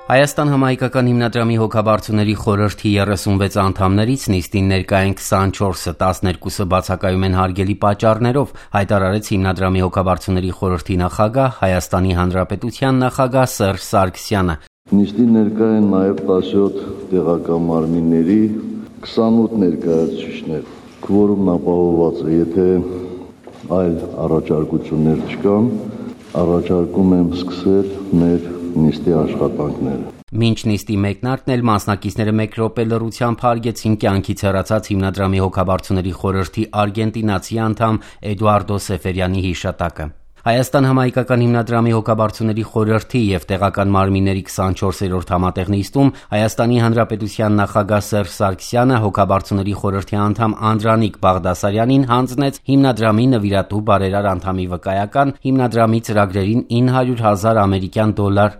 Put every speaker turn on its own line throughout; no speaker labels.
Հայաստան համահայկական հիմնադրամի հոգաբարձուների խորհրդի 36 անդամներից նիստին ներկա են 24-ը, 12-ը բացակայում են հարգելի պատճառներով, հայտարարեց հիմնադրամի հոգաբարձուների խորհրդի նախագահ, Հայաստանի Հանրապետության նախագահ Սերժ Սարգսյանը։
Նիստին ներկա են նաև 17 տեղական մարմինների 28 ներկայացուցիչներ։ Քվորումն ապահովված է, եթե այլ առաջարկություններ չկան, առաջարկում եմ սկսել մեր նիստի աշխատանքները։
Մինչ նիստի մեկնարկն էլ մասնակիցները 1 րոպե լռությամբ հարգեցին կյանքից հեռացած հիմնադրամի հոգաբարձուների խորհրդի արգենտինացի անդամ Էդուարդո Սեֆերյանի հիշատակը։ Հայաստան համահայկական հիմնադրամի հոգաբարձուների խորհրդի և տեղական մարմինների 24-րդ համատեղ նիստում Հայաստանի Հանրապետության նախագահ Սերժ Սարգսյանը հոգաբարձուների խորհրդի անդամ Անդրանիկ Բաղդասարյանին հանձնեց հիմնադրամի նվիրատու բարերար անդամի վկայական հիմնադրամի ծրագրերին $900,000 ամերիկյան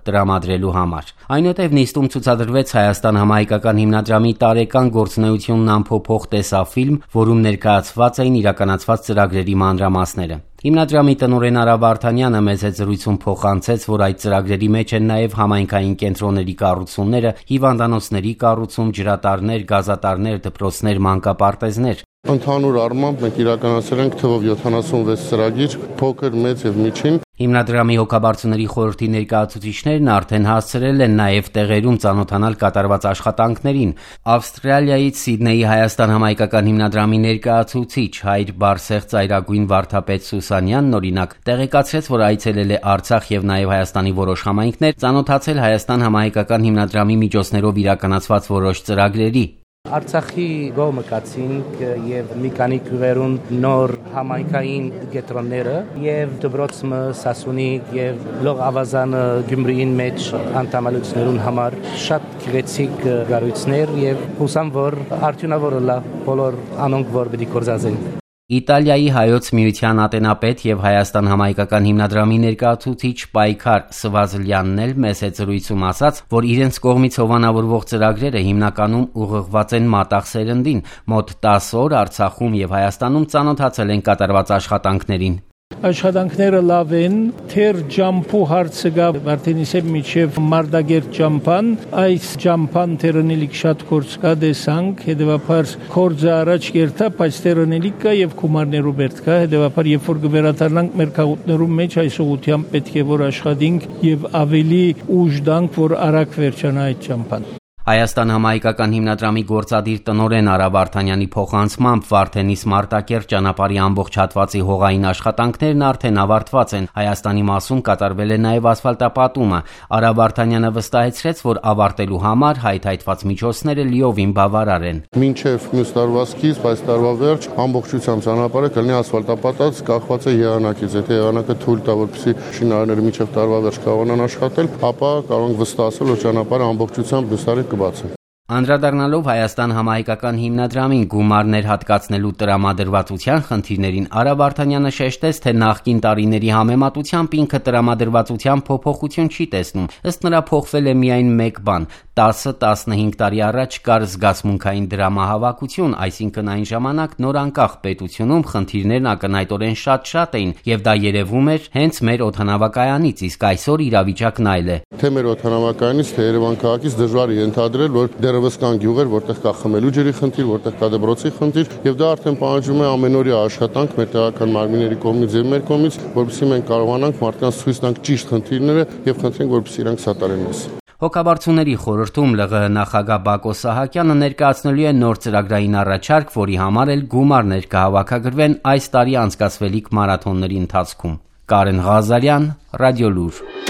տրամադրելու համար։ Այնուհետև նիստում ցուցադրվեց Հայաստան համահայկական հիմնադրամի տարեկան գործունեությունն ամփոփող տեսաֆիլմ, որում ներկայացված էին իրականացված ծրագրերի մանրամասները։ Հիմնադրամի տնօրեն Արա Վարդանյանը մեծ զրույցում փոխանցեց, որ այդ ծրագրերի մեջ են նաև համայնքային կենտրոնների կառուցումները, հիվանդանոցների կառուցում, ջրատարներ, գազատարներ, դպրոցներ, մանկապարտեզներ։
Ընդհանուր առմամբ մենք իրականացրել ենք թվով 76 ծրագիր, փոքր, մեծ եւ միջին։
Հիմնադրամի հոգաբարձուների խորհրդի ներկայացուցիչներն արդեն հասցրել են նաև տեղերում ծանոթանալ կատարված աշխատանքներին։ Ավստրալիայից Սիդնեի Հայաստան համահայկական հիմնադրամի ներկայացուցիչ Հայր Բարսեղ ծայրագույն վարդապետ Սուսանյանն օրինակ տեղեկացրեց, որ այցելել է Արցախ եւ նաև Հայաստանի որոշ համայնքներ, ծանոթացել Հայաստան համահայկական հիմնադրամի միջոցներով իրականացված որոշ ծրագրերի։
Արցախի գոմը կացինք եւ մի քանի գյուղերուն նոր համայնքային կենտրոնները եւ դպրոցը Սասունիկ եւ Լող Ավազանը Գյումրիին մեջ անդամալություններուն համար շատ գեղեցիկ գարույցներ եւ հուսամ որ արդյունավոր լա բոլոր անոնք որ պիտի կորզածեն։
Իտալիայի հայոց միության ատենապետ եւ Հայաստան համահայկական հիմնադրամի ներկայացուցիչ Պայքար Սվազլյանն էլ մեծ զրույցում ասաց, որ իրենց կողմից հովանավորվող ծրագրերը հիմնականում ուղղված են մատաղ սերնդին, մոտ 10 օր Արցախում եւ Հայաստանում ծանոթացել են կատարված աշխատանքներին։
Աշխատանքները լավ են, թեր ջամփու հարցը գա Վարդենիսեւ միջև Մարդագերտ ջամփան, այս ջամփան թերնելիք շատ կորց կա դեսանք, հետեւաբար կորձը առաջ կերտա, բայց թերնելիք կա եւ գումարներով բերտ կա, հետեւաբար երբ որ կվերաթարնանք մեր քաղաքներում մեջ այս ուղղությամբ պետք է որ աշխատենք եւ ավելի ուժ տանք, որ արագ վերջանա այդ ջամփան։
Հայաստան համահայկական հիմնադրամի գործադիր տնօրեն Արա Վարդանյանի փոխանցմամբ Վարդենիս Մարտակերտ ճանապարհի ամբողջ հատվածի հողային աշխատանքներն արդեն ավարտված են։ Հայաստանի մասում կատարվել է նաև ասֆալտապատումը։ Արա Վարդանյանը վստահեցրեց, որ ավարտելու համար հայթայթված միջոցները լիովին բավարար են։
Մինչև մյուս տարվա սկիզբ, այս տարվա վերջ ամբողջությամբ ճանապարհը կլինի ասֆալտապատած, կախված է եղանակից։ Եթե եղանակը թույլ տա, որպեսզի շինարարները մինչև տարվա վերջ կարողանան աշխատել, ապա կարող ենք վստահել, որ ճանապարհը ամբողջությամբ մյուս տարի
Անդրադառնալով Հայաստան համահայկական հիմնադրամին գումարներ հատկացնելու տրամադրվածության խնդիրներին Արա Վարդանյանը շեշտեց, թե նախկին տարիների համեմատությամբ ինքը տրամադրվածության փոփոխություն չի տեսնում։ Ըստ նրա փոխվել է միայն մեկ բան՝ 10-15 տարի առաջ կար զգացմունքային դրամահավաքություն, այսինքն այն ժամանակ նոր անկախ պետությունում խնդիրներն ակնհայտորեն շատ էին, եւ դա երևում էր հենց մեր օդանավակայանից, իսկ այսօր իրավիճակն այլ է։
Թե մեր օդանավակայանից, թե Երևան քաղաքից դժվար է ենթադրել, որ դեռևս կան գյուղեր, որտեղ կա խմելու ջրի խնդիր, որտեղ կա դպրոցի խնդիր, եւ դա արդեն պահանջում է ամենօրյա աշխատանք մեր տեղական մարմինների կողմից եւ մեր կողմից, որովհետեւ մենք կարողանանք մարդկանց ցույց տանք ճիշտ խնդիրները եւ խնդրենք, որպեսզի իրանք սատարեն մեզ։
Հոգաբարձուների խորհրդում ԼՂՀ նախագահ Բակո Սահակյանը ներկայացնելու է նոր ծրագրային առաջարկ, որի համար էլ գումարներ կհավաքագրվեն այս տարի անցկացվելիք մարաթոնների ընթացքում։ Կարեն Ղազարյան, Ռադիոլուր։